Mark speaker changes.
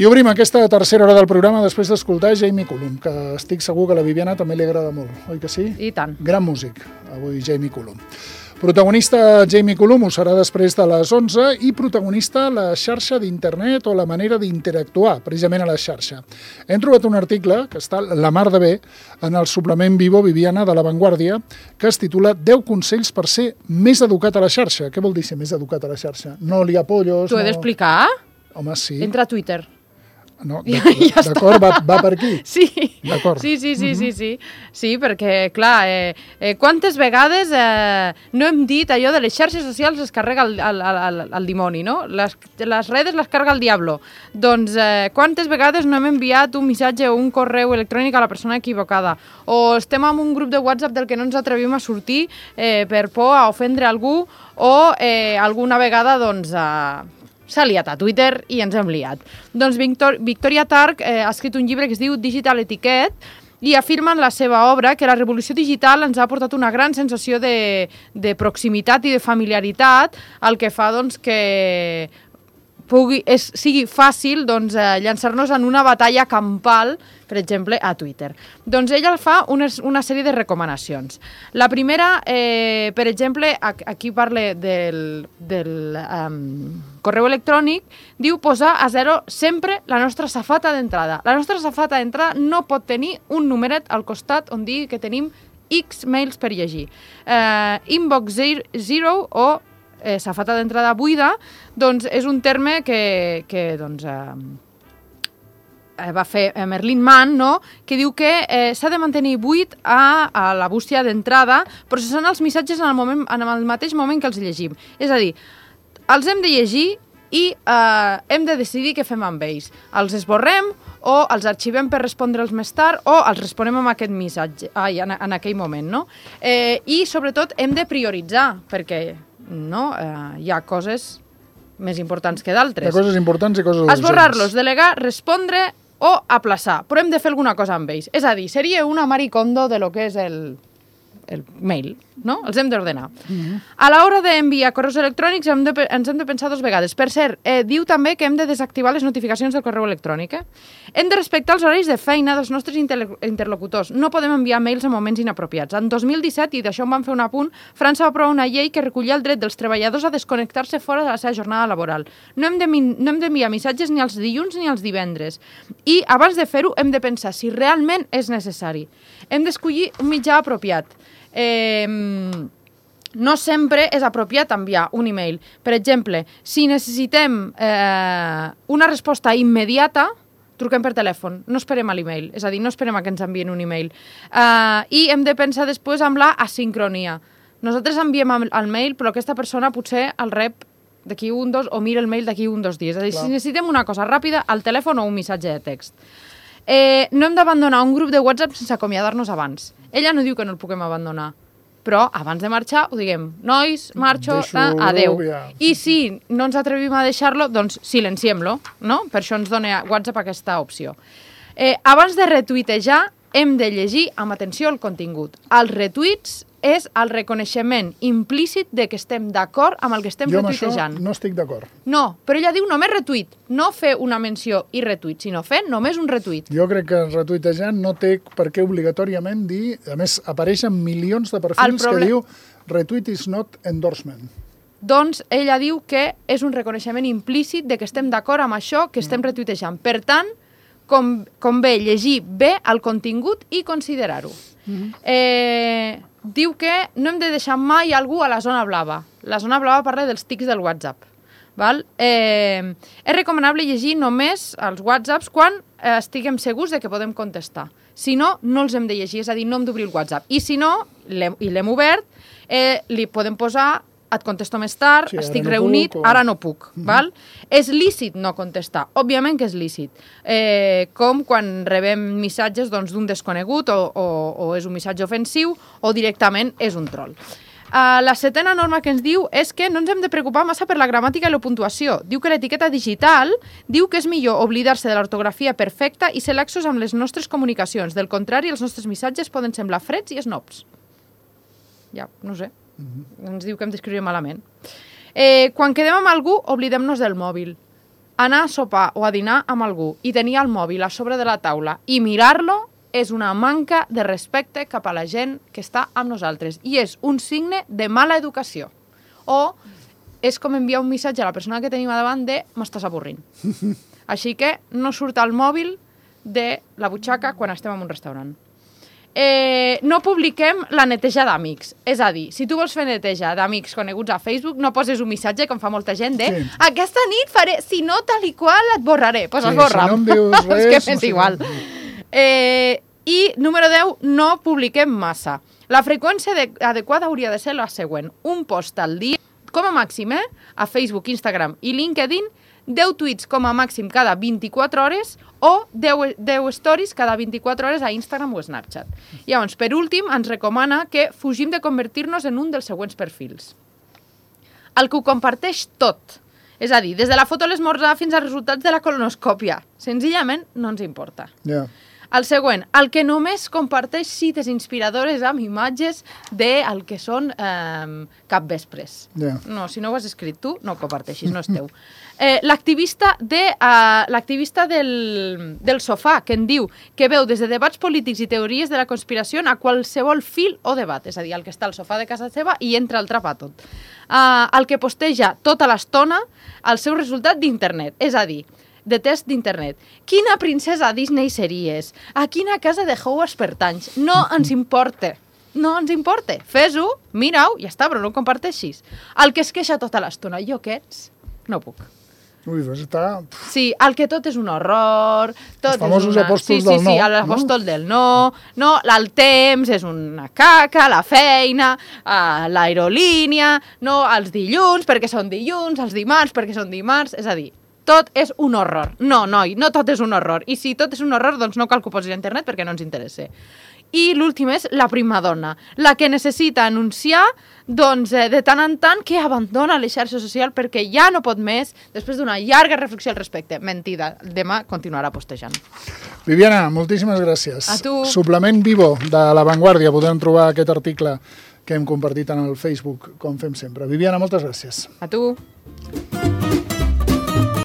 Speaker 1: I obrim aquesta tercera hora del programa després d'escoltar Jamie Cullum, que estic segur que a la Viviana també li agrada molt, oi que sí?
Speaker 2: I tant.
Speaker 1: Gran músic, avui Jamie Cullum. Protagonista Jamie Cullum ho serà després de les 11 i protagonista la xarxa d'internet o la manera d'interactuar precisament a la xarxa. Hem trobat un article que està la mar de bé en el suplement Vivo Viviana de La Vanguardia que es titula 10 consells per ser més educat a la xarxa. Què vol dir ser més educat a la xarxa? No li apollos...
Speaker 2: T'ho he d'explicar?
Speaker 1: Home, sí.
Speaker 2: Entra a Twitter.
Speaker 1: No, d'acord, va per aquí.
Speaker 2: Sí,
Speaker 1: d'acord.
Speaker 2: Sí, perquè, clar, quantes vegades no hem dit allò de les xarxes socials es carrega el dimoni, no? Les redes les carga el diablo. Doncs quantes vegades no hem enviat un missatge o un correu electrònic a la persona equivocada? O estem en un grup de WhatsApp del que no ens atrevim a sortir per por a ofendre algú o alguna vegada, doncs... s'ha liat a Twitter i ens hem liat. Doncs Victoria Targ ha escrit un llibre que es diu Digital Etiquette i afirma en la seva obra que la revolució digital ens ha portat una gran sensació de proximitat i de familiaritat, el que fa doncs, que sigui fàcil doncs, llançar-nos en una batalla campal, per exemple, a Twitter. Doncs ella fa una sèrie de recomanacions. La primera, per exemple, aquí parla del correu electrònic, diu posar a zero sempre la nostra safata d'entrada. La nostra safata d'entrada no pot tenir un numeret al costat on digui que tenim X mails per llegir. Inbox zero o safata d'entrada buida, doncs és un terme que doncs, va fer Merlin Mann, no? Que diu que s'ha de mantenir buit a la bústia d'entrada, processant els missatges en el mateix moment que els llegim. És a dir, els hem de llegir i hem de decidir què fem amb ells. Els esborrem o els arxivem per respondre'ls més tard o els responem amb aquest missatge en aquell moment, no? I sobretot hem de prioritzar, perquè hi ha coses més importants que d'altres.
Speaker 1: Hi ha coses importants i coses urgents.
Speaker 2: Esborrar-los, delegar, respondre o aplaçar, però hem de fer alguna cosa amb ells. És a dir, seria una maricondo de lo que és el mail, no? Els hem d'ordenar. A l'hora d'enviar correus electrònics ens hem de pensar 2 vegades. Per cert, diu també que hem de desactivar les notificacions del correu electrònic. Hem de respectar els horaris de feina dels nostres interlocutors. No podem enviar mails en moments inapropiats. En 2017, i d'això en vam fer un apunt, França va aprovar una llei que recollia el dret dels treballadors a desconnectar-se fora de la seva jornada laboral. No hem d'enviar missatges ni els dilluns ni els divendres. I abans de fer-ho hem de pensar si realment és necessari. Hem d'escollir un mitjà apropiat. No sempre és apropiat enviar un email. Per exemple, si necessitem una resposta immediata, truquem per telèfon, no esperem a l'email, és a dir, no esperem a que ens envien un email. I hem de pensar després amb la asincronia. Nosaltres enviem el mail, però aquesta persona potser el rep d'aquí 1-2 o mira el mail d'aquí 1-2 dies. És a dir, si necessitem una cosa ràpida, al telèfon o un missatge de text. No hem d'abandonar un grup de WhatsApp sense acomiadar-nos abans. Ella no diu que no el puguem abandonar, però abans de marxar ho diguem. Nois, marxo, adeu. I si no ens atrevim a deixar-lo, doncs silenciem-lo, no? Per això ens dona WhatsApp aquesta opció. Abans de retuitejar, hem de llegir amb atenció el contingut. Els retuits és el reconeixement implícit de que estem d'acord amb el que estem retuitejant.
Speaker 1: Jo amb això no estic d'acord.
Speaker 2: No, però ella diu només retuit, no fer una menció i retuit, sinó fer només un retuit.
Speaker 1: Jo crec que retuitejant no té per què obligatòriament dir, a més apareixen milions de perfils que diu retweet is not endorsement.
Speaker 2: Doncs ella diu que és un reconeixement implícit de que estem d'acord amb això que estem retuitejant. Per tant, convé llegir bé el contingut i considerar-ho. Diu que no hem de deixar mai algú a la zona blava. La zona blava parla dels tics del WhatsApp. És recomanable llegir només els WhatsApps quan estiguem segurs de que podem contestar. Si no, no els hem de llegir, és a dir, no hem d'obrir el WhatsApp. I si no, i l'hem obert, li podem posar et contesto més tard, sí, estic reunit, ara no puc. Val? És lícit no contestar, òbviament que és lícit. Com quan rebem missatges d'un desconegut o és un missatge ofensiu o directament és un troll. La setena norma que ens diu és que no ens hem de preocupar massa per la gramàtica i la puntuació. Diu que l'etiqueta digital diu que és millor oblidar-se de l'ortografia perfecta i ser laxos amb les nostres comunicacions. Del contrari, els nostres missatges poden semblar freds i snobs. Ja, no sé. Ens diu que hem d'escriure malament. Quan quedem amb algú, oblidem-nos del mòbil. Anar a sopar o a dinar amb algú i tenir el mòbil a sobre de la taula i mirar-lo és una manca de respecte cap a la gent que està amb nosaltres i és un signe de mala educació. O és com enviar un missatge a la persona que tenim a davant de m'estàs avorrint. Així que no surt el mòbil de la butxaca quan estem en un restaurant. No publiquem la neteja d'amics. És a dir, si tu vols fer neteja d'amics coneguts a Facebook, no poses un missatge, com fa molta gent, de aquesta nit faré, si no tal i qual et borraré. Doncs esborra'm.
Speaker 1: Si no em dius res...
Speaker 2: És que és igual. I número 10, no publiquem massa. La freqüència adequada hauria de ser la següent. Un post al dia, com a màxim, a Facebook, Instagram i LinkedIn, 10 tuits com a màxim cada 24 hores o 10 stories cada 24 hores a Instagram o Snapchat. Llavors, per últim, ens recomana que fugim de convertir-nos en un dels següents perfils. El que ho comparteix tot. És a dir, des de la foto a l'esmorzar fins als resultats de la colonoscòpia. Senzillament no ens importa. El següent, el que només comparteix cites inspiradores amb imatges del que són capvespres. No, si no ho has escrit tu, no ho comparteixis, no és teu. L'activista del sofà, que en diu que veu des de debats polítics i teories de la conspiració a qualsevol fil o debat, és a dir, el que està al sofà de casa seva i entra al trap a tot. El que posteja tota l'estona el seu resultat d'internet, és a dir, de test d'internet. Quina princesa Disney series? A quina casa de Hogwarts pertanys? No ens importa. No ens importa. Fes-ho, mira-ho, ja està, però no ho comparteixis. El que es queixa tota l'estona, jo aquests, no puc.
Speaker 1: Ui, doncs està...
Speaker 2: Sí, el que tot és un horror...
Speaker 1: Els famosos apòstols del no.
Speaker 2: Sí, l'apòstol del no, el temps és una caca, la feina, l'aerolínia, els dilluns perquè són dilluns, els dimarts perquè són dimarts, és a dir, tot és un horror. No, noi, no tot és un horror. I si tot és un horror, doncs no cal que ho posis a internet perquè no ens interessa. I l'últim és la primadona, la que necessita anunciar doncs, de tant en tant que abandona les xarxes socials perquè ja no pot més després d'una llarga reflexió al respecte. Mentida, demà continuarà postejant.
Speaker 1: Viviana, moltíssimes gràcies.
Speaker 2: A tu.
Speaker 1: Suplement Vivo de La Vanguardia. Podem trobar aquest article que hem compartit en el Facebook, com fem sempre. Viviana, moltes gràcies.
Speaker 2: A tu.